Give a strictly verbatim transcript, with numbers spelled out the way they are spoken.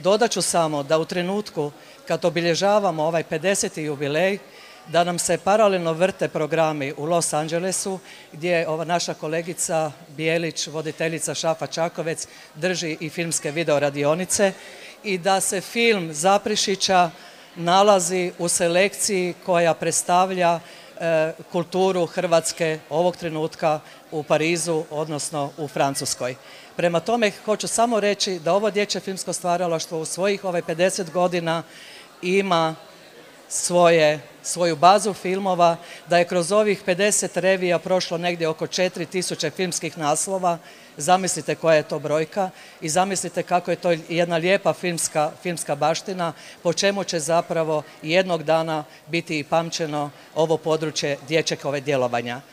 Dodat ću samo da u trenutku kad obilježavamo ovaj pedeseti jubilej, da nam se paralelno vrte programi u Los Angelesu, gdje ova naša kolegica Bijelić, voditeljica Šafa Čakovec, drži i filmske video radionice i da se film Zaprešića nalazi u selekciji koja predstavlja e, kulturu Hrvatske ovog trenutka u Parizu, odnosno u Francuskoj. Prema tome, hoću samo reći da ovo dječje filmsko stvaralaštvo u svojih ovaj pedeset godina ima svoje, svoju bazu filmova, da je kroz ovih pedeset revija prošlo negdje oko četiri tisuće filmskih naslova. Zamislite koja je to brojka i zamislite kako je to jedna lijepa filmska, filmska baština, po čemu će zapravo jednog dana biti i pamćeno ovo područje dječjeg djelovanja.